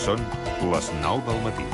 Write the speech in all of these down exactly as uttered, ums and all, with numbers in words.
Són les nou del matí.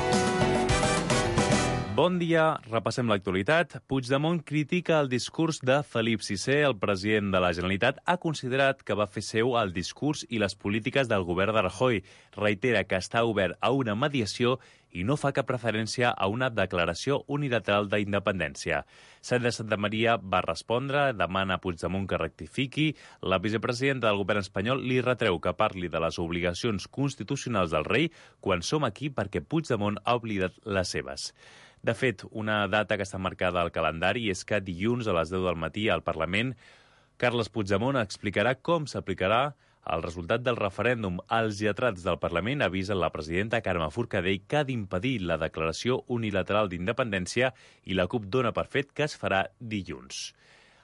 Bon dia, repassem l'actualitat. Puigdemont critica el discurs de Felip sisè. El president de la Generalitat ha considerat que va fer seu el discurs i les polítiques del govern de Rajoy. Reitera que està obert a una mediació i no fa cap referència a una declaració unilateral d'independència. Sandra Santamaria va respondre, demana a Puigdemont que rectifiqui. La vicepresidenta del govern espanyol li retreu que parli de les obligacions constitucionals del rei quan som aquí perquè Puigdemont ha oblidat les seves. De fet, una data que està marcada al calendari és que dilluns a les deu del matí al Parlament Carles Puigdemont explicarà com s'aplicarà el resultat del referèndum. Els lletrats del Parlament avisen la presidenta Carme Forcadell que ha d'impedir la declaració unilateral d'independència i la CUP dona per fet que es farà dilluns.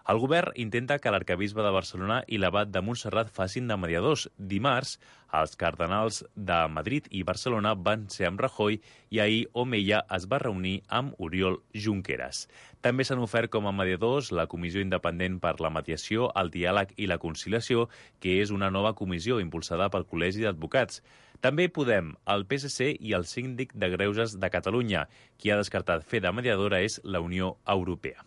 El govern intenta que l'arquebisbe de Barcelona i l'abat de Montserrat facin de mediadors. Dimarts, els cardenals de Madrid i Barcelona van ser amb Rajoy i ahir Omeia es va reunir amb Oriol Junqueras. També s'han ofert com a mediadors la Comissió Independent per la Mediació, el Diàleg i la Conciliació, que és una nova comissió impulsada pel Col·legi d'Advocats. També Podem, el P S C i el Síndic de Greuges de Catalunya. Qui ha descartat fer de mediadora és la Unió Europea.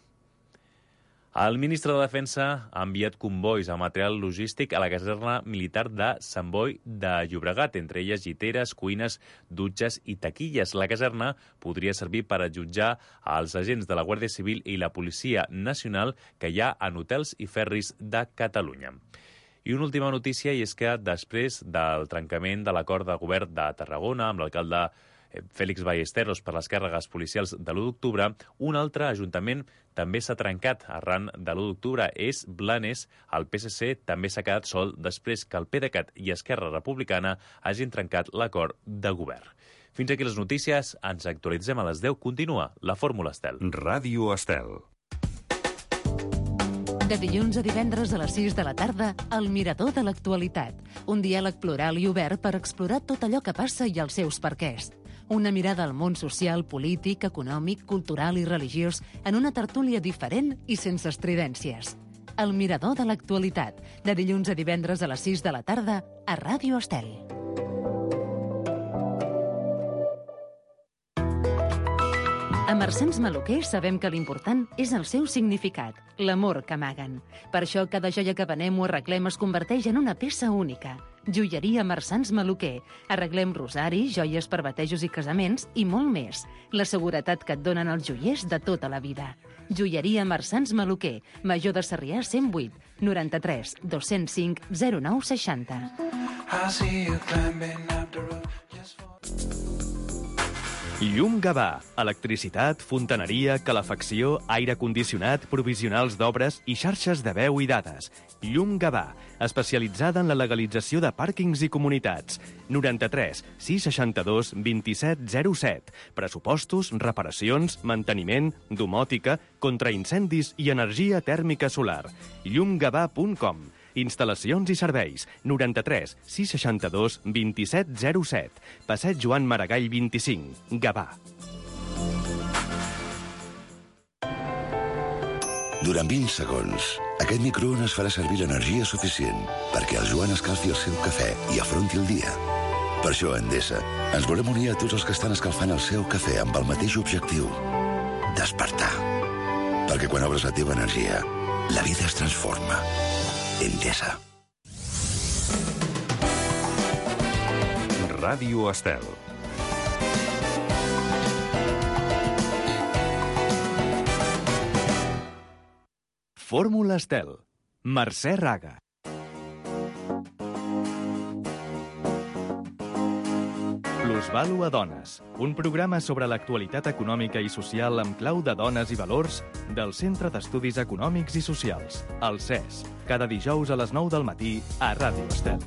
El ministre de Defensa ha enviat convois amb material logístic a la caserna militar de Sant Boi de Llobregat, entre elles lliteres, cuines, dutxes i taquilles. La caserna podria servir per allotjar als agents de la Guàrdia Civil i la Policia Nacional que hi ha en hotels i ferris de Catalunya. I una última notícia, i és que després del trencament de l'acord de govern de Tarragona amb l'alcalde Félix Ballesteros per les càrregues policials de l'u d'octubre, un altre ajuntament també s'ha trencat arran de l'u d'octubre. És Blanes. El P S C també s'ha quedat sol després que el PDeCAT i Esquerra Republicana hagin trencat l'acord de govern. Fins aquí les notícies. Ens actualitzem a les deu. Continua la Fórmula Estel. Ràdio Estel. De dilluns a divendres a les sis de la tarda, El Mirador de l'Actualitat. Un diàleg plural i obert per explorar tot allò que passa i els seus perquès. Una mirada al món social, polític, econòmic, cultural i religiós en una tertúlia diferent i sense estridències. El Mirador de l'Actualitat. De dilluns a divendres a les sis de la tarda a Ràdio Estel. A Marsans Maluquer sabem que l'important és el seu significat, l'amor que amaguen. Per això cada joia que venem o arreglem es converteix en una peça única. Joieria Marsans Maluquer. Arreglem rosaris, joies per batejos i casaments i molt més. La seguretat que et donen els joiers de tota la vida. Joieria Marsans Maluquer. Major de Sarrià cent vuit, noranta-tres, dos-cents cinc, zero nou seixanta. Llum Gavà. Electricitat, fontaneria, calefacció, aire condicionat, provisionals d'obres i xarxes de veu i dades. Llum Gavà, especialitzada en la legalització de pàrquings i comunitats. noranta-tres, sis seixanta-dos, vint-i-set, zero set. Pressupostos, reparacions, manteniment, domòtica, contraincendis i energia tèrmica solar. llum gavà punt com. Instal·lacions i serveis. noranta-tres, sis seixanta-dos, vint-i-set, zero set. Passeig Joan Maragall vint-i-cinc. Gavà. Durant vint segons, aquest microones farà servir l'energia suficient perquè el Joan escalfi el seu cafè i afronti el dia. Per això, a Endesa, ens volem unir a tots els que estan escalfant el seu cafè amb el mateix objectiu: despertar. Perquè quan obres la teva energia, la vida es transforma. Endesa. Ràdio Estel. Fórmula Estel. Mercè Raga. Plusvàlua a dones, un programa sobre l'actualitat econòmica i social amb clau de dones i valors del Centre d'Estudis Econòmics i Socials, el C E S, cada dijous a les nou del matí a Ràdio Estel.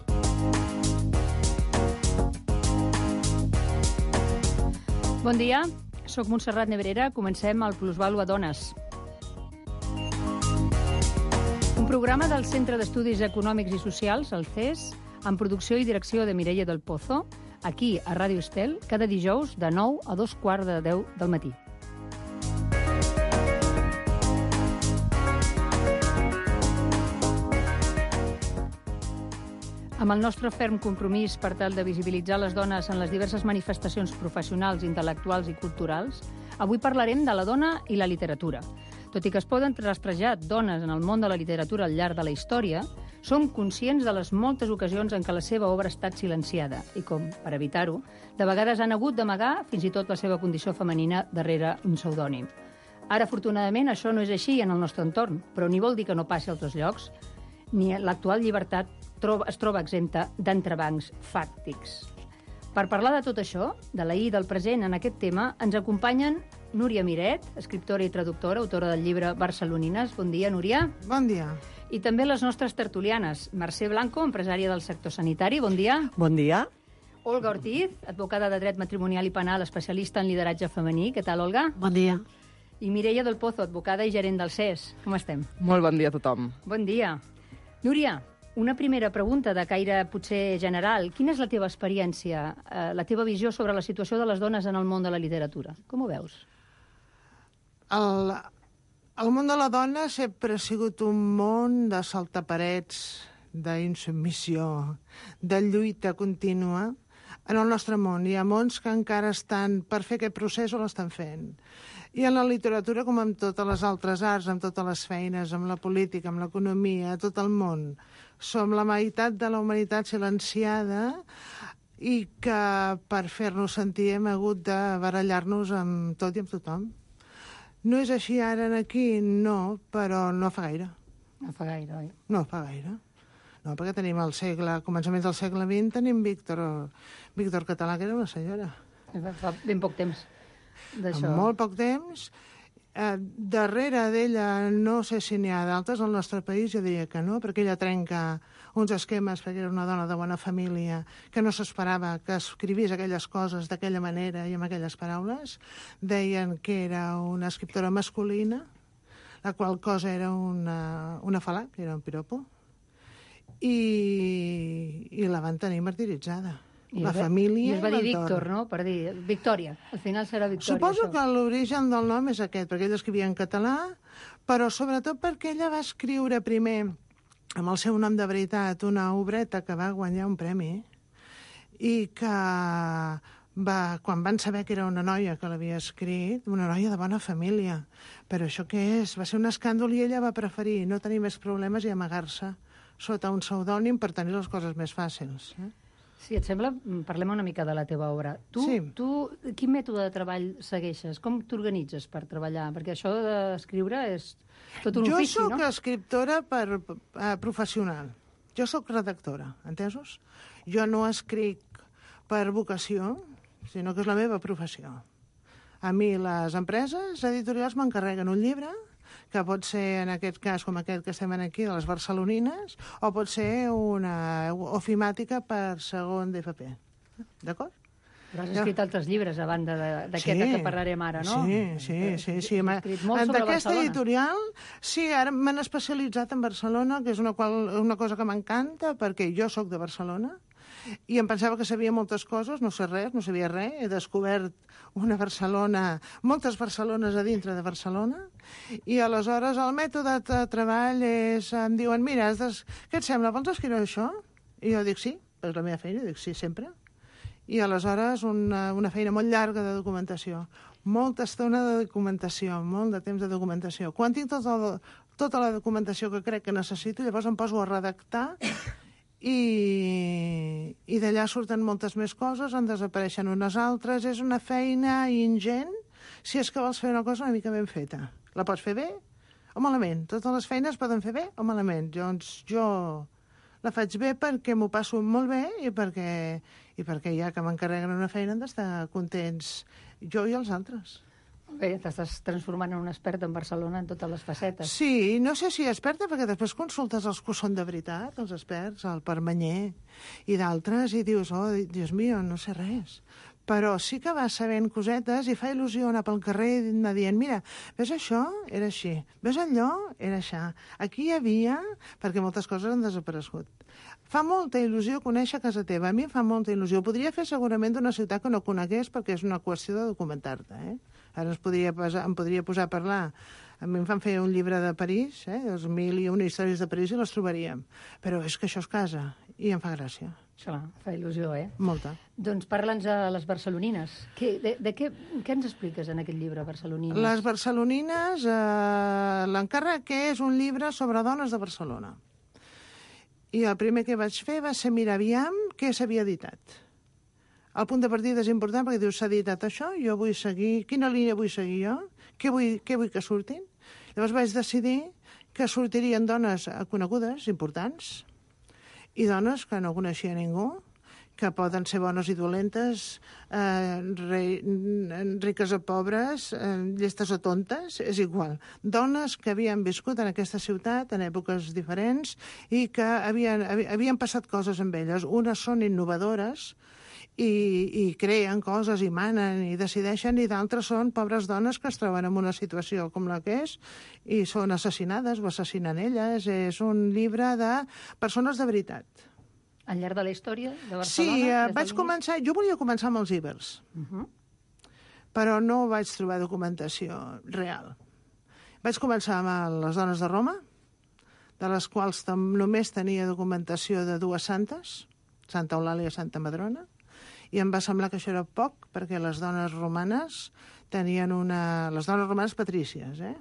Bon dia, sóc Montserrat Nebrera, comencem el Plusvàlua a dones. Un programa del Centre d'Estudis Econòmics i Socials, el C E S, amb producció i direcció de Mireia del Pozo, aquí a Ràdio Estel, cada dijous de nou a dos quarts de deu del matí. Amb el nostre ferm compromís per tal de visibilitzar les dones en les diverses manifestacions professionals, intel·lectuals i culturals, avui parlarem de la dona i la literatura. Tot i que es poden rastrejar dones en el món de la literatura al llarg de la història, som conscients de les moltes ocasions en què la seva obra ha estat silenciada i com, per evitar-ho, de vegades han hagut d'amagar fins i tot la seva condició femenina darrere un pseudònim. Ara, afortunadament, això no és així en el nostre entorn, però ni vol dir que no passi a altres llocs, ni l'actual llibertat es troba exempta d'entrebancs fàctics. Per parlar de tot això, de l'ahir i del present en aquest tema, ens acompanyen Núria Miret, escriptora i traductora, autora del llibre Barcelonines. Bon dia, Núria. Bon dia. I també les nostres tertulianes. Mercè Blanco, empresària del sector sanitari. Bon dia. Bon dia. Olga Ortiz, advocada de dret matrimonial i penal, especialista en lideratge femení. Què tal, Olga? Bon dia. I Mireia del Pozo, advocada i gerent del C E S. Com estem? Molt bon dia a tothom. Bon dia. Núria, una primera pregunta de caire potser general. Quina és la teva experiència, eh, la teva visió sobre la situació de les dones en el món de la literatura? Com ho veus? El, el món de la dona sempre ha sigut un món de saltaparets, d'insubmissió, de lluita contínua. En el nostre món hi ha mons que encara estan per fer aquest procés o l'estan fent. I en la literatura, com en totes les altres arts, amb totes les feines, amb la política, amb l'economia, tot el món, som la meitat de la humanitat silenciada i que per fer-nos sentir hem hagut de barallar-nos amb tot i amb tothom. No és així ara aquí? No, però no fa gaire. No fa gaire, oi? No fa gaire. No, perquè tenim el segle, a començaments del segle vint, tenim Víctor, Víctor Català, que era una senyora. Fa ben poc temps d'això. En molt poc temps. Eh, darrere d'ella, no sé si n'hi ha d'altres al nostre país, jo diria que no, perquè ella trenca uns esquemes, perquè era una dona de bona família, que no s'esperava que escrivís aquelles coses d'aquella manera i amb aquelles paraules. Deien que era una escriptora masculina, la qual cosa era una, una fal·lac, era un piropo, i, i la van tenir martiritzada. I la va, família i es va dir l'entorn. Víctor, no? Per dir Victòria. Al final serà Victòria. Suposo això. que l'origen del nom és aquest, perquè ella escrivia en català, però sobretot perquè ella va escriure primer, amb el seu nom de veritat, una obreta que va guanyar un premi i que va, quan van saber que era una noia que l'havia escrit, una noia de bona família, però això què és? Va ser un escàndol i ella va preferir no tenir més problemes i amagar-se sota un pseudònim per tenir les coses més fàcils. Eh? Si et sembla, parlem una mica de la teva obra. Tu, Sí. tu quin mètode de treball segueixes? Com t'organitzes per treballar? Perquè això d'escriure és tot un jo ofici, sóc no? escriptora per, uh, professional. Jo sóc redactora, entesos? Jo no escric per vocació, sinó que és la meva professió. A mi les empreses editorials m'encarreguen un llibre, que pot ser, en aquest cas, com aquest que estem aquí, de les Barcelonines, o pot ser una ofimàtica per segon d'F P. D'acord? Però has escrit altres llibres a banda de- d'aquest Sí. que parlarem ara, no? Sí, sí, sí. sí. Has escrit molt sobre D'aquesta Barcelona. editorial, sí, ara m'han especialitzat en Barcelona, que és una, qual, una cosa que m'encanta, perquè jo sóc de Barcelona, i em pensava que sabia moltes coses, no sé res, no sabia res, he descobert una Barcelona, moltes Barcelones a dintre de Barcelona, i aleshores el mètode de treball és, em diuen, mira, has des... què et sembla, vols escriure això? I jo dic, sí, és la meva feina, dic, sí, sempre. I aleshores una, una feina molt llarga de documentació, molta estona de documentació, molt de temps de documentació. Quan tinc tot el, tota la documentació que crec que necessito, llavors em poso a redactar i, i d'allà surten moltes més coses, en desapareixen unes altres. És una feina ingent si és que vols fer una cosa una mica ben feta. La pots fer bé o malament. Totes les feines poden fer bé o malament. Doncs jo la faig bé perquè m'ho passo molt bé i perquè, i perquè ja que m'encarreguen una feina han d'estar contents jo i els altres. Bé, t'estàs transformant en un expert en Barcelona en totes les facetes. Sí, no sé si experta, perquè després consultes els que ho són de veritat, els experts, el Permanyer i d'altres, i dius, oh, Dios mío, no sé res. Però sí que vas sabent cosetes i fa il·lusió anar pel carrer i anar dient, mira, ves això? Era així. Ves allò? Era això. Aquí hi havia, perquè moltes coses han desaparegut. Fa molta il·lusió conèixer casa teva. A mi em fa molta il·lusió. Ho podria fer segurament d'una ciutat que no conegués perquè és una qüestió de documentar-te, eh? Ara es podria posar, em podria posar a parlar. A mi em fan fer un llibre de París, eh? Els mil i una històries de París i les trobaríem. Però és que això és casa. i em fa gràcia. Clar, fa il·lusió, eh? Molta. Doncs parla'ns de les barcelonines. Que, de, de què, què ens expliques en aquest llibre, Barcelonines? Les barcelonines, eh, l'encàrrec és un llibre sobre dones de Barcelona. I el primer que vaig fer va ser mirar aviam què s'havia editat. El punt de partida és important perquè dius, s'ha editat això, jo vull seguir, quina línia vull seguir jo? Què vull, què vull que surtin? Llavors vaig decidir que sortirien dones conegudes, importants, i dones que no coneixia ningú, que poden ser bones i dolentes, eh, re, riques o pobres, eh, llestes o tontes, és igual. Dones que havien viscut en aquesta ciutat en èpoques diferents i que havien, havien passat coses amb elles. Unes són innovadores i, i creen coses i manen i decideixen, i d'altres són pobres dones que es troben en una situació com la que és i són assassinades o assassinen elles. És un llibre de persones de veritat. Al llarg de la història de Barcelona? Sí, eh, vaig començar... Jo volia començar amb els ibers, uh -huh. però no vaig trobar documentació real. Vaig començar amb les dones de Roma, de les quals només tenia documentació de dues santes, Santa Eulàlia i Santa Madrona, i em va semblar que això era poc, perquè les dones romanes tenien una... Les dones romanes patrícies, eh?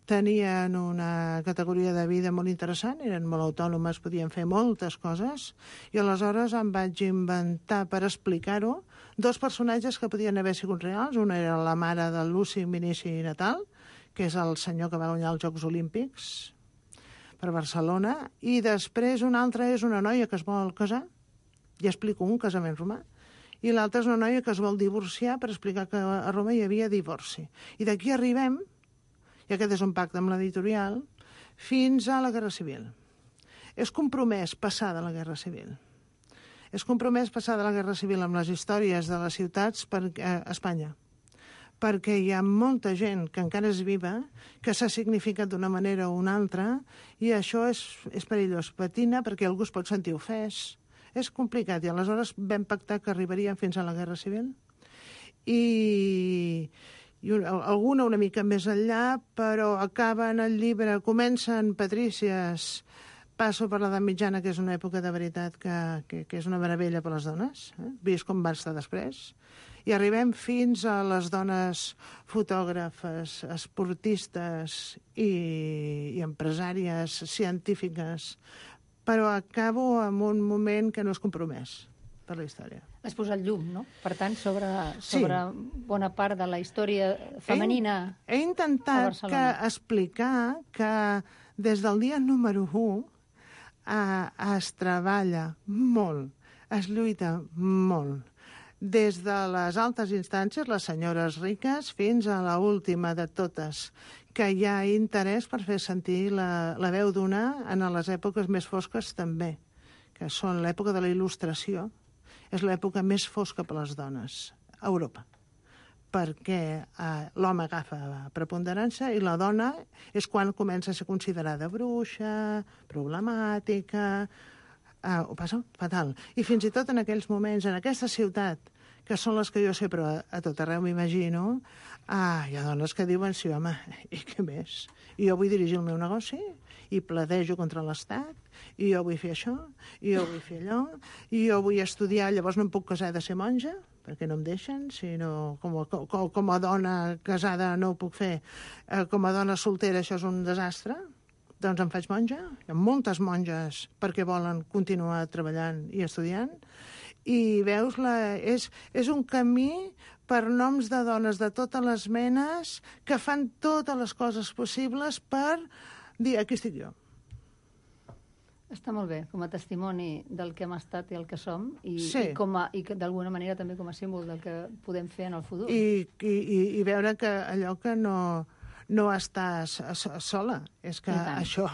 Tenien una categoria de vida molt interessant, eren molt autònomes, podien fer moltes coses, i aleshores em vaig inventar, per explicar-ho, dos personatges que podien haver sigut reals. Una era la mare de Luci Minici Natal, que és el senyor que va guanyar els Jocs Olímpics per Barcelona, i després una altra és una noia que es vol casar, i explico un casament romà, i l'altra és una noia que es vol divorciar per explicar que a Roma hi havia divorci. I d'aquí arribem, i aquest és un pacte amb l'editorial, fins a la Guerra Civil. És compromès passar de la Guerra Civil. És compromès passar de la Guerra Civil amb les històries de les ciutats per a Espanya, perquè hi ha molta gent que encara és viva, que s'ha significat d'una manera o una altra, i això és, és perillós. Patina perquè algú es pot sentir ofès. És complicat, i aleshores vam pactar que arribaríem fins a la Guerra Civil. I, i alguna una mica més enllà, però acaben el llibre, comencen patrícies, passo per l'edat mitjana, que és una època de veritat que, que, que és una meravella per les dones, eh? Vist com va estar després, i arribem fins a les dones fotògrafes, esportistes i, i empresàries, científiques, però acabo en un moment que no és compromès per la història. Has posat llum, no? Per tant, sobre, sobre sí. bona part de la història femenina. He, he intentat que explicar que des del dia número u eh, es treballa molt, es lluita molt. Des de les altes instàncies, les senyores riques, fins a l'última de totes, que hi ha interès per fer sentir la, la veu d'una en les èpoques més fosques també, que són l'època de la Il·lustració. És l'època més fosca per a les dones a Europa, perquè eh, l'home agafa preponderància i la dona és quan comença a ser considerada bruixa, problemàtica, eh, ho passa fatal. I fins i tot en aquells moments, en aquesta ciutat, que són les que jo sempre a, a tot arreu m'imagino, ah, hi ha dones que diuen, sí, home, i què més? I jo vull dirigir el meu negoci, i pledejo contra l'Estat, i jo vull fer això, i jo vull fer allò, i jo vull estudiar, llavors no em puc casar de ser monja, perquè no em deixen, sinó com a, com, com a dona casada no ho puc fer, eh, com a dona soltera això és un desastre, doncs em faig monja. Hi ha moltes monges perquè volen continuar treballant i estudiant, i veus, la, és, és un camí per noms de dones de totes les menes que fan totes les coses possibles per dir, aquí estic jo. Està molt bé, com a testimoni del que hem estat i el que som, i, sí. i, com a, i d'alguna manera també com a símbol del que podem fer en el futur. I, i, i veure que allò que no, no estàs sola, és que això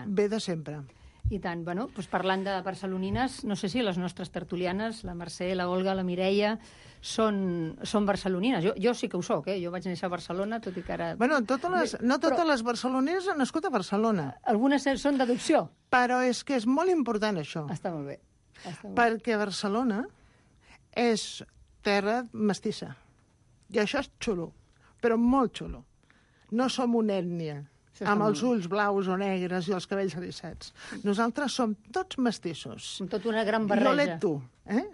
ve de sempre. I tant. Bueno, doncs parlant de barcelonines, no sé si les nostres tertulianes, la Mercè, la Olga, la Mireia, són, són barcelonines. Jo, jo sí que ho soc, eh? Jo vaig néixer a Barcelona, tot i que ara... Bueno, totes les, no totes però, les barcelonines han nascut a Barcelona. Algunes són d'adopció. Però és que és molt important, això. Està molt bé. Està molt perquè Barcelona és terra mestissa. I això és xulo, però molt xulo. No som una ètnia. amb els ulls blaus o negres i els cabells erissats. Nosaltres som tots mestissos. Som tot una gran barreja. I olet tu, eh?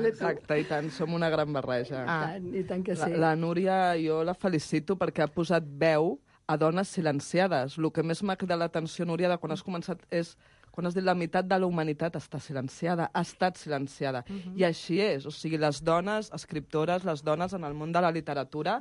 Exacte, i tant, som una gran barreja. Ah. I, tant, I tant que sí. La, la Núria, jo la felicito perquè ha posat veu a dones silenciades. El que més m'ha cridat l'atenció, Núria, de quan has començat és quan has dit la meitat de la humanitat està silenciada, ha estat silenciada. Uh-huh. I així és. O sigui, les dones escriptores, les dones en el món de la literatura,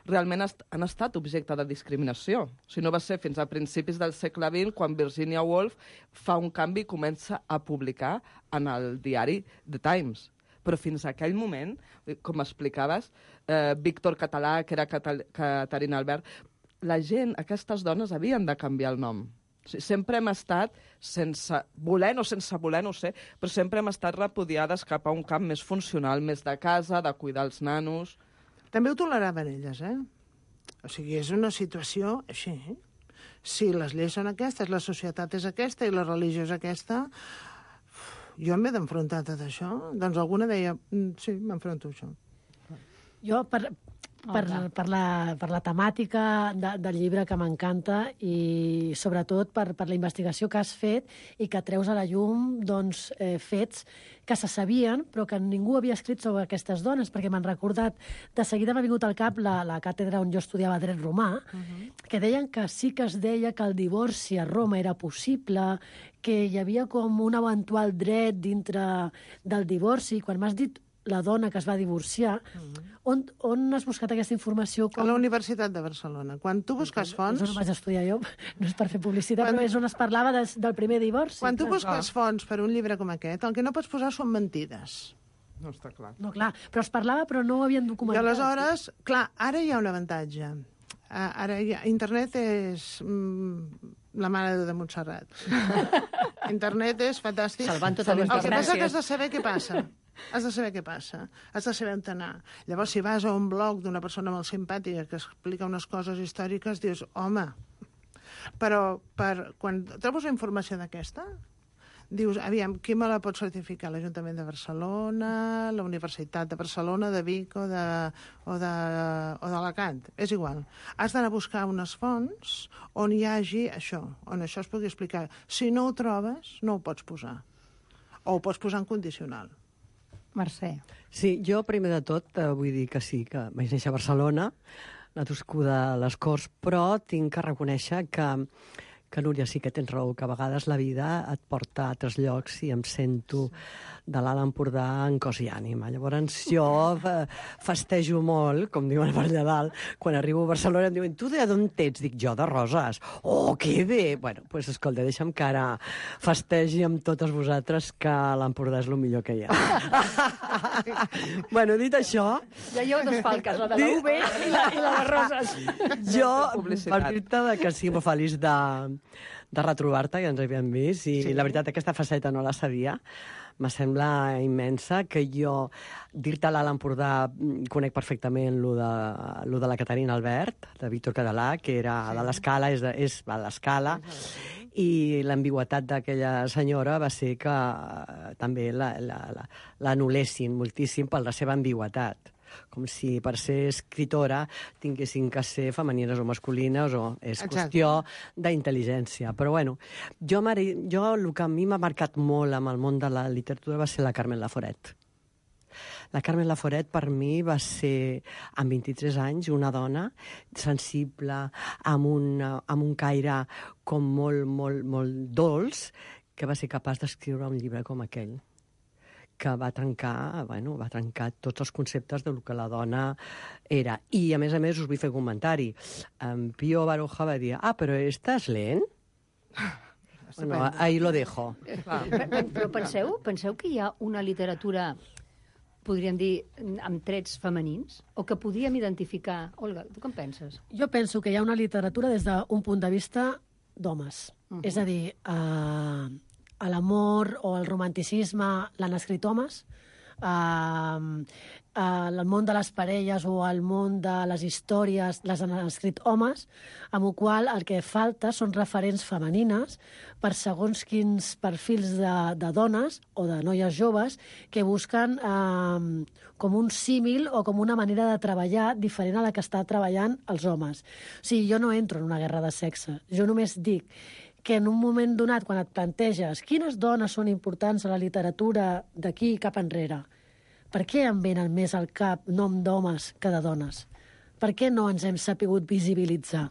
realment han estat objecte de discriminació. O sigui, no va ser fins a principis del segle vint quan Virginia Woolf fa un canvi i comença a publicar en el diari The Times. Però fins a aquell moment, com explicaves, eh, Víctor Català, que era Catal Caterina Albert, la gent, aquestes dones, havien de canviar el nom. O sigui, sempre hem estat, sense voler o sense voler, no ho sé, però sempre hem estat repudiades cap a un camp més funcional, més de casa, de cuidar els nanos. També ho toleraven elles, eh? O sigui, és una situació així, eh? Si les lleis són aquestes, la societat és aquesta i la religió és aquesta, jo m'he d'enfrontar a tot això. Doncs alguna deia, sí, m'enfronto a això. Jo, per, per, per, la, per la temàtica de, del llibre que m'encanta i sobretot per, per la investigació que has fet i que treus a la llum doncs, eh, fets que se sabien però que ningú havia escrit sobre aquestes dones, perquè m'han recordat, de seguida m'ha vingut al cap la, la càtedra on jo estudiava dret romà, uh-huh. que deien que sí que es deia que el divorci a Roma era possible, que hi havia com un eventual dret dintre del divorci. Quan m'has dit la dona que es va divorciar, mm. on, on has buscat aquesta informació? Com... A la Universitat de Barcelona. Quan tu busques fonts... Això no vaig estudiar jo, no és per fer publicitat, quan... però és on es parlava de, del primer divorci. Quan tu busques fonts per un llibre com aquest, el que no pots posar són mentides. No està clar. No, clar, però es parlava, però no ho havien documentat. I aleshores, clar, ara hi ha un avantatge. Ara hi ha... Internet és mm, la mare de Montserrat. Internet és fantàstic. Salvant totes les El que passa desgràcies. que has de saber què passa. Has de saber què passa, has de saber on anar. Llavors, si vas a un blog d'una persona molt simpàtica que explica unes coses històriques, dius, home, però per, quan trobes una informació d'aquesta, dius, aviam, qui me la pot certificar? L'Ajuntament de Barcelona, la Universitat de Barcelona, de Vic o de, o de, o d'Alacant, és igual. Has d'anar a buscar unes fonts on hi hagi això, on això es pugui explicar. Si no ho trobes, no ho pots posar. O ho pots posar en condicional. Mercè. Sí, jo primer de tot eh, vull dir que sí, que vaig néixer a Barcelona, nascuda a les Corts, però tinc que reconèixer que, que Núria, sí que tens raó, que a vegades la vida et porta a altres llocs i em sento de l'Alt Empordà en cos i ànima. Llavors jo festejo molt, com diuen per allà dalt, quan arribo a Barcelona em diuen, tu d'on ets? Dic, jo de Roses. Oh, que bé! Bueno, doncs pues, escolta, deixa'm que ara festegi amb totes vosaltres que l'Empordà és el millor que hi ha. Bueno, dit això... Ja hi ha dos falques, la de la U B i la, i la de Roses. Jo, per dir-te que sí, molt feliç de, de retrobar-te, que ens havíem vist, i sí. La veritat, aquesta faceta no la sabia. Me sembla immensa, que jo, dir-te l'Alt Empordà, conec perfectament lo de, lo de la Caterina Albert, de Víctor Català, que era sí. de l'Escala, és, de, és a l'Escala, sí. I l'ambigüetat d'aquella senyora va ser que eh, també l'anul·lessin la, la, moltíssim per la seva ambigüetat. Com si per ser escritora tinguessin que ser femenines o masculines, o és Exacte. Qüestió d'intel·ligència. Però bueno, jo, jo el que a mi m'ha marcat molt amb el món de la literatura va ser la Carmen Laforet. La Carmen Laforet per mi va ser, amb vint-i-tres anys, una dona sensible, amb un, amb un caire com molt, molt, molt dolç, que va ser capaç d'escriure un llibre com aquell, que va trencar, bueno, va trencar tots els conceptes del que la dona era. I, a més a més, us vull fer un comentari. En Pío Baroja va dir, ah, però estàs lent? Bueno, ahí lo dejo. Però penseu, penseu que hi ha una literatura, podríem dir, amb trets femenins, o que podíem identificar... Olga, tu què en penses? Jo penso que hi ha una literatura des d'un punt de vista d'homes. Uh -huh. És a dir, eh, a l'amor o el romanticisme l'han escrit homes, eh, el món de les parelles o el món de les històries les han escrit homes, amb el qual el que falta són referents femenines per segons quins perfils de, de dones o de noies joves que busquen eh, com un símil o com una manera de treballar diferent a la que està treballant els homes. O sigui, jo no entro en una guerra de sexe, jo només dic que en un moment donat, quan et planteges quines dones són importants a la literatura d'aquí cap enrere, per què em venen més al cap nom d'homes que de dones? Per què no ens hem sapigut visibilitzar?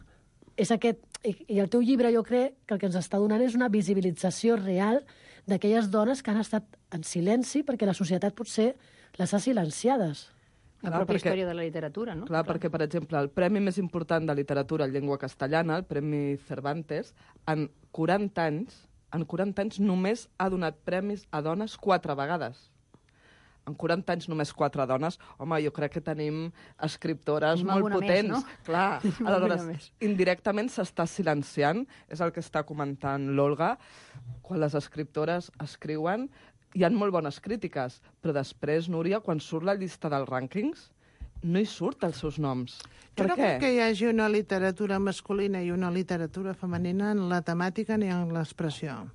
És aquest, i el teu llibre jo crec que el que ens està donant és una visibilització real d'aquelles dones que han estat en silenci perquè la societat potser les ha silenciades. La Clar, pròpia perquè- història de la literatura, no? Clar, perquè, per exemple, el premi més important de literatura en llengua castellana, el Premi Cervantes, en quaranta anys, en quaranta anys només ha donat premis a dones quatre vegades. En quaranta anys només quatre dones. Home, jo crec que tenim escriptores Tenim molt alguna potents. més, no? Clar, Tenim aleshores, alguna més. indirectament s'està silenciant, és el que està comentant l'Olga, quan les escriptores escriuen, hi ha molt bones crítiques, però després, Núria, quan surt la llista dels rànquings, no hi surt els seus noms. Jo Per no què? crec que hi hagi una literatura masculina i una literatura femenina en la temàtica ni en l'expressió.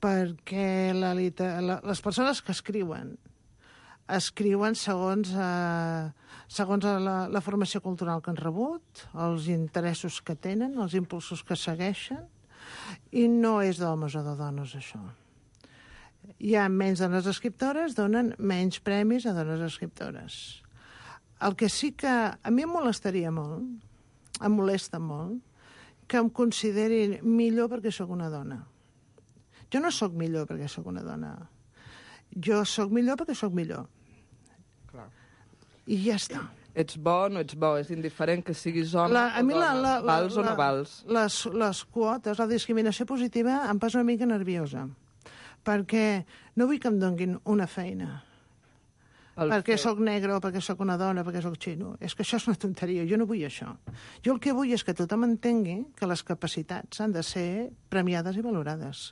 Perquè la, liter- la, les persones que escriuen escriuen segons, eh, segons la, la formació cultural que han rebut, els interessos que tenen, els impulsos que segueixen, i no és d'homes o de dones, això. Hi ha menys dones escriptores, donen menys premis a dones escriptores. El que sí que a mi em molestaria molt, em molesta molt, que em considerin millor perquè sóc una dona. Jo no sóc millor perquè sóc una dona. Jo sóc millor perquè sóc millor. Clar. I ja està. Ets bo o no ets bo, és indiferent que siguis home La, o a mi la, dona, la, la, vals o no la- vals. Les, les quotes, la discriminació positiva em posa una mica nerviosa, perquè no vull que em donguin una feina. El perquè fet- sóc negre o perquè sóc una dona, perquè sóc xino. És que això és una tonteria, jo no vull això. Jo el que vull és que tothom entengui que les capacitats han de ser premiades i valorades.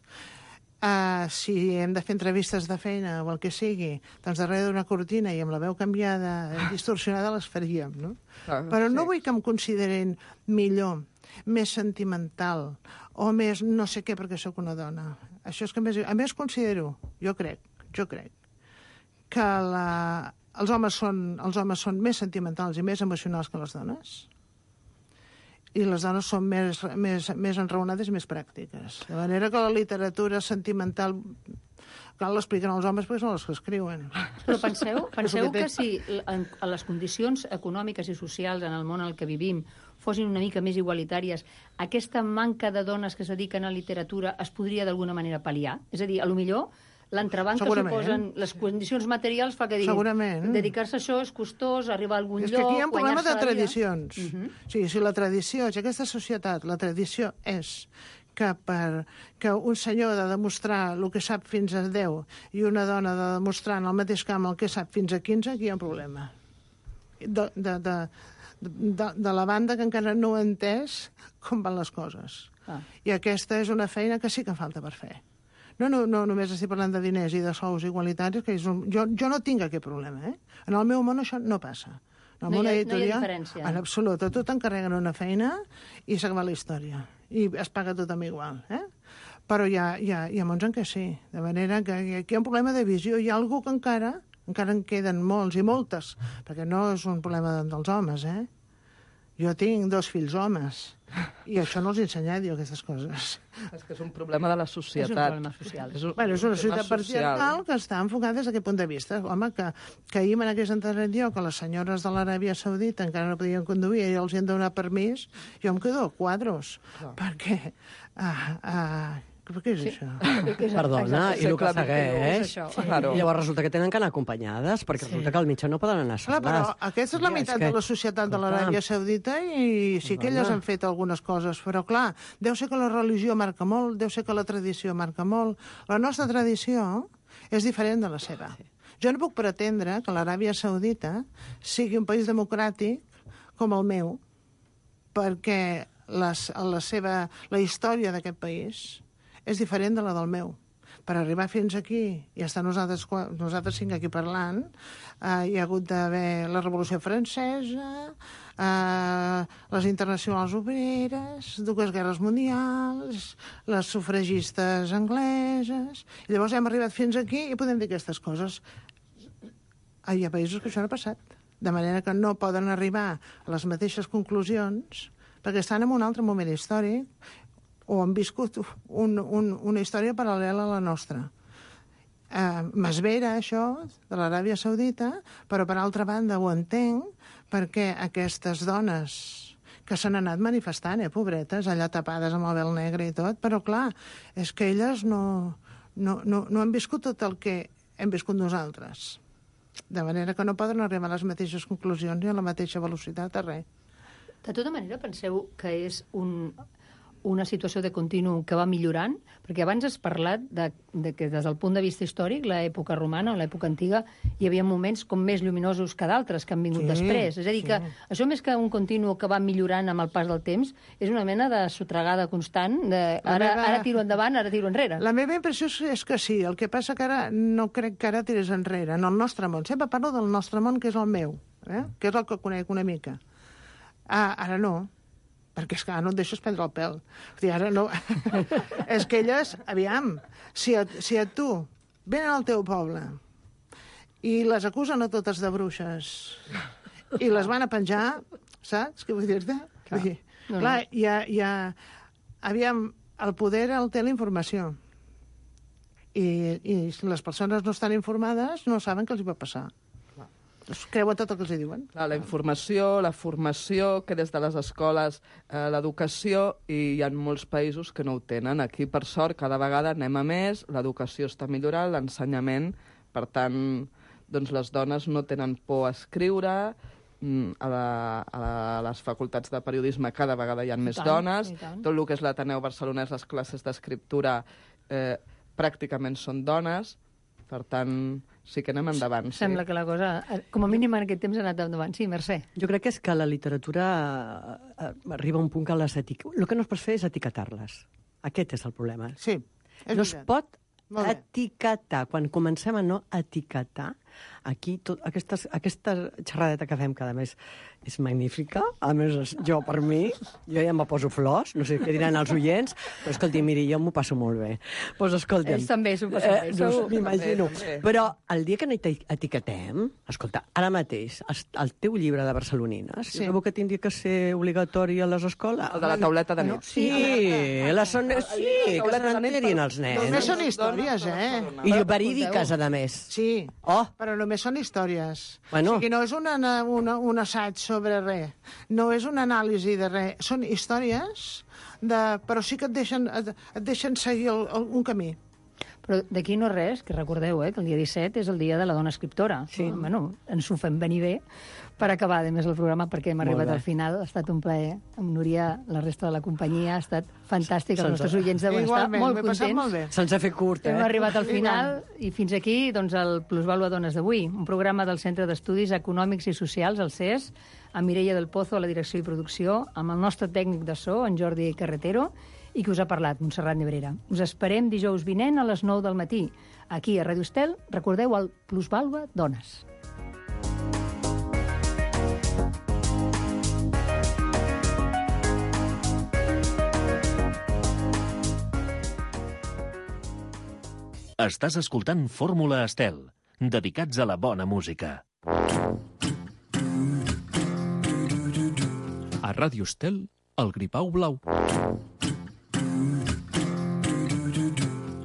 Uh, si hem de fer entrevistes de feina o el que sigui, doncs darrere d'una cortina i amb la veu canviada, distorsionada, les faríem, no? Ah, Però no sí. vull que em considerin millor, més sentimental o més no sé què perquè sóc una dona. Això és que a més, a més considero, jo crec, jo crec, que la, els, homes són, els homes són més sentimentals i més emocionals que les dones, i les dones són més, més, més enraonades i més pràctiques. De manera que la literatura sentimental cal l'expliquen als homes perquè són els que escriuen. Però penseu, penseu És el que que té. si en, a les condicions econòmiques i socials en el món en el que vivim fossin una mica més igualitàries, aquesta manca de dones que es dediquen a literatura es podria d'alguna manera pal·liar? És a dir, a lo millor l'entrebanc que Segurament. suposen les condicions materials fa que diguin Segurament. dedicar-se a això és costós, arribar a algun És que lloc, aquí hi ha un problema de guanyar-se la vida. tradicions. Uh -huh. O sigui, si la tradició, si aquesta societat, la tradició és que per que un senyor ha de demostrar el que sap fins a deu i una dona ha de demostrar en el mateix camp el que sap fins a quinze, aquí hi ha un problema. De, de, de, de, de la banda que encara no ha entès com van les coses. Ah. I aquesta és una feina que sí que falta per fer. No, no, no només estic parlant de diners i de sous igualitaris, que és un... jo, jo no tinc aquest problema, eh? En el meu món això no passa. En el No món hi ha- no hi ha editorial, diferència. en absolut, a tu t'encarreguen una feina i s'acaba la història. I es paga tothom igual, eh? Però hi ha, hi ha, hi ha mons en què sí. De manera que aquí hi ha un problema de visió. Hi ha algú que encara, encara en queden molts i moltes, perquè no és un problema dels homes, eh? Jo tinc dos fills homes i això no els he ensenyat, jo, aquestes coses. És que és un problema de la societat. És un problema social. És un, Bueno, és una tema societat patriarcal que està enfocada des d'aquest punt de vista. Home, que, que ahir me n'hagués enterat jo que les senyores de l'Aràbia Saudita encara no podien conduir i els hi han de donar permís, jo em quedo a quadros. Clar. Perquè... Ah, ah, què és sí. això? Perdona, i el que Segle segueix... és això. Sí. Claro. I llavors resulta que tenen que anar acompanyades, perquè sí. resulta que al mitjà no poden anar Clar, soles. però aquesta és la Ja, meitat que- de la societat de l'Aràbia Saudita i sí que elles Dona. han fet algunes coses, però clar, deu ser que la religió marca molt, deu ser que la tradició marca molt. La nostra tradició és diferent de la seva. Jo no puc pretendre que l'Aràbia Saudita sigui un país democràtic com el meu, perquè les, la, seva, la història d'aquest país és diferent de la del meu. per arribar fins aquí i estar nosaltres, nosaltres cinc aquí parlant, eh, hi ha hagut d'haver la Revolució Francesa, eh, les internacionals obreres, dues guerres mundials, les sufragistes angleses... I llavors hem arribat fins aquí i podem dir aquestes coses. Hi ha països que això no ha passat, de manera que no poden arribar a les mateixes conclusions perquè estan en un altre moment històric o han viscut un, un, una història paral·lela a la nostra. Eh, M'esvera això de l'Aràbia Saudita, però per altra banda ho entenc perquè aquestes dones que s'han anat manifestant, eh, pobretes, allà tapades amb el vel negre i tot, però clar, és que elles no, no, no, no han viscut tot el que hem viscut nosaltres. De manera que no poden arribar a les mateixes conclusions ni a la mateixa velocitat a res. De tota manera, penseu que és un, una situació de continu que va millorant? Perquè abans has parlat de, de que des del punt de vista històric, l'època romana o l'època antiga, hi havia moments com més lluminosos que d'altres que han vingut Sí, després. És a dir, sí. que això més que un continu que va millorant amb el pas del temps, és una mena de sotregada constant, de ara, meva- ara tiro endavant, ara tiro enrere. La meva impressió és- és que sí, el que passa que ara no crec que ara tirés enrere, en el nostre món. Sempre parlo del nostre món, que és el meu, eh? que és el que conec una mica. Ah, ara no, perquè és que ara no et deixes prendre el pèl. O sigui, ara no... és que elles, aviam, si a, si a tu venen al teu poble i les acusen a totes de bruixes i les van a penjar, saps què vull dir-te? Vull dir, No, no. clar, hi ha, hi ha... Aviam, el poder el té la informació. I, I si les persones no estan informades, no saben què els hi pot passar. Es creuen tot el que els hi diuen. Clar, la informació, la formació, que des de les escoles, eh, l'educació, i hi ha molts països que no ho tenen. Aquí, per sort, cada vegada anem a més, l'educació està millorant, l'ensenyament, per tant, doncs les dones no tenen por a escriure, mm, a, la, a, la, a les facultats de periodisme cada vegada hi ha més tant, dones, i tant. tot el que és l'Ateneu Barcelonès, les classes d'escriptura, eh, pràcticament són dones, per tant, sí que anem endavant. Sí. Sembla que la cosa, eh, com a mínim en aquest temps, ha anat endavant. Sí, Mercè. Jo crec que és que la literatura eh, eh, arriba a un punt que les etiquetes... El que no es pot fer és etiquetar-les. Aquest és el problema. Sí, és no es veritat. pot Molt bé. etiquetar. Quan comencem a no etiquetar, aquí tot, aquestes, aquesta xerradeta que fem cada mes és magnífica. A més, jo, per mi, jo ja me poso flors, no sé què diran els oients, però escolti, miri, jo m'ho passo molt bé. Doncs pues, escolta'm... Ells també s'ho passen bé, no, segur. m'imagino. També, també. Però el dia que n'eti- etiquetem, escolta, ara mateix, es- el teu llibre de Barcelonines, Sí. sí. jo crec que tindria que ser obligatori a les escoles. El de la tauleta de nit. Sí, la son... sí, que se n'enterin els nens. Només són històries, eh? I verídiques, a més. Sí, Oh. però només són històries. Bueno. O sigui, no és una, una, un assaig sobre res, no és una anàlisi de res, són històries, de, però sí que et deixen, et, et deixen seguir el, el, un camí. Però d'aquí no res, que recordeu, eh, que el dia disset és el dia de la dona escriptora. Sí. Bueno, ens ho fem venir bé per acabar, a més, el programa, perquè hem Molt arribat bé. al final. Ha estat un plaer. Amb Núria, la resta de la companyia, ha estat fantàstic. Els Se'ns nostres ha- oients deuen estar Igualment, molt m'he passat contents. molt bé. Se'ns ha fet curt, eh? Hem arribat al final i fins aquí doncs, el Plusvalua Dones d'avui, un programa del Centre d'Estudis Econòmics i Socials, el C E S, amb Mireia del Pozo a la direcció i producció, amb el nostre tècnic de so, en Jordi Carretero, i que us ha parlat, Montserrat Nebrera. Us esperem dijous vinent a les nou del matí. Aquí a Ràdio Estel, recordeu el Plusvalua Dones. Estàs escoltant Fórmula Estel, dedicats a la bona música. A Ràdio Estel, el Gripau Blau.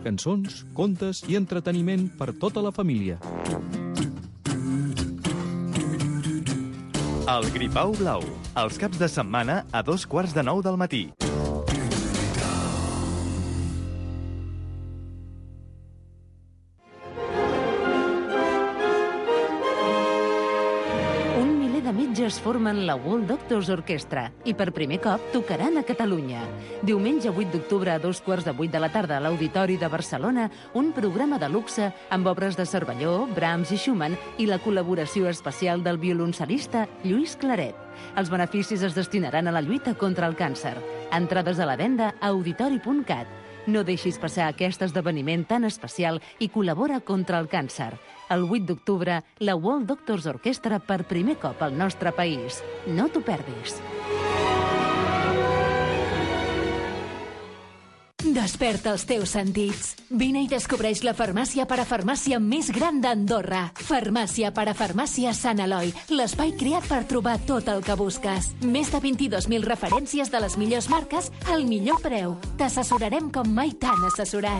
Cançons, contes i entreteniment per tota la família. El Gripau Blau, els caps de setmana a dos quarts de nou del matí. Un miler de metges formen la World Doctors Orchestra i per primer cop tocaran a Catalunya. Diumenge vuit d'octubre a dos quarts de vuit de la tarda a l'Auditori de Barcelona, un programa de luxe amb obres de Cervelló, Brahms i Schumann i la col·laboració especial del violoncel·lista Lluís Claret. Els beneficis es destinaran a la lluita contra el càncer. Entrades a la venda a auditori punt cat. No deixis passar aquest esdeveniment tan especial i col·labora contra el càncer. El vuit d'octubre, la World Doctors Orchestra per primer cop al nostre país. No t'ho perdis. Desperta els teus sentits. Vine i descobreix la farmàcia parafarmàcia més gran d'Andorra. Farmàcia parafarmàcia Sant Eloi, l'espai creat per trobar tot el que busques. Més de vint-i-dos mil referències de les millors marques al millor preu. T'assessorarem com mai t'han assessorat.